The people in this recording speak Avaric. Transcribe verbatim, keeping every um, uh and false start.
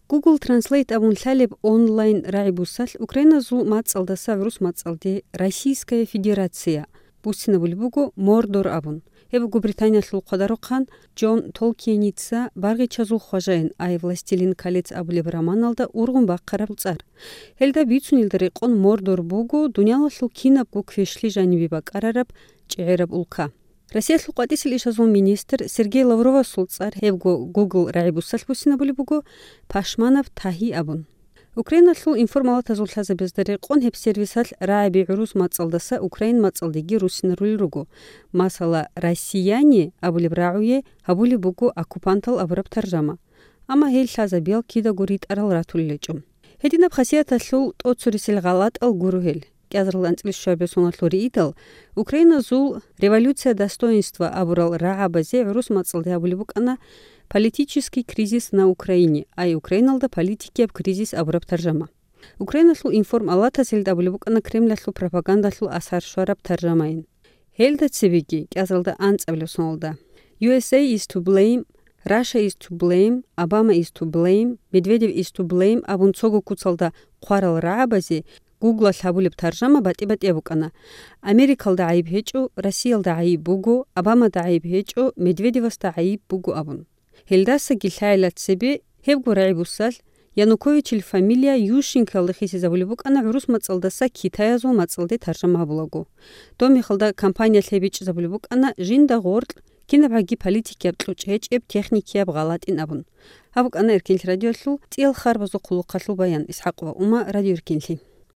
Google Translate абун лъалеб онлайн рагӀи-бусалъ украиназул мацӀалдаса гӀурус мацӀалде «Российская Федерация» буссинабулеб буго «Мордор» абун. Гьеб буго Британиялъул хъвадарухъан Джон Толкиеница «Баргъичазул хважаин», ай «Властелин колец» абулеб романалда ургъун бахъараб цӀар. Гьелда бицунелда рекъон Мордор буго дуниялалъул кинабго квешлъи жанибе бакӀарараб чӀегӀераб улка. Россиялъул къватӀисел ишазул министр Сергей Лавровасул цӀар гьебго Google рагӀи-бусалъ буссинабулеб буго «Пашманаб тагьи» абун. Украиналъул информалатазул лъазабазда рекъон гьеб сервисалъ рагӀаби гӀурус мацӀалдаса украин мацӀалдеги руссинарулел руго. Масала, «россияне» абулеб рагӀуе гьабулеб буго «оккупантал» абураб таржама. Амма гьел лъазабиял кидаго ритӀарал ратулел гьечӀо. Гьединаб хасияталъул тӀоцересел гъалатӀал гуро гьел. КӀиазарал анцӀила щуабилеб соналъул риидал, украиназул «Революция достоинства» абурал рагӀабазе гӀурус мацӀалде абулеб букӀана «политический кризис на Украине», ай Украиналда политикияб кризис абураб таржама. Украиналъул информалатас гьелда абулеб букӀана Кремлалъул пропагандалъул асар щвараб таржамайин. Гьелда цебеги кӀиазаралда анцӀабилеб соналда «U S A is to blame», «Russia is to blame», «Obama is to blame», «Medvedev is to blame» абун цого куцалда хъварал рагӀабазе Гуглалъ гьабулеб таржама батӀи-батӀияб букӀана: «Америкалда гӀайиб гьечӀо, Россиялда гӀайиб буго, Обамада гӀайиб гьечӀо, Медведевасда гӀайиб буго», – абун. Гьелдасаги лъайила цебе гьебго рагӀи-бусалъ Януковичил фамилия Ющенкоялда хисизабулеб букӀана гӀурус мацӀалдаса китаязул мацӀалде таржама гьабулаго. Доб мехалда кампаниялъ гьеб бичӀчӀизабулеб букӀана жинда гъоркь кинабгӀаги политикияб кьучӀ гьечӀеб техникияб гъалатӀин абун. Гьаб букӀана Эркенлъи радиоялъул цӀиял харбазул хъулухъалъул баян. ИсхӀакъова Ума, Радио Эркенлъи.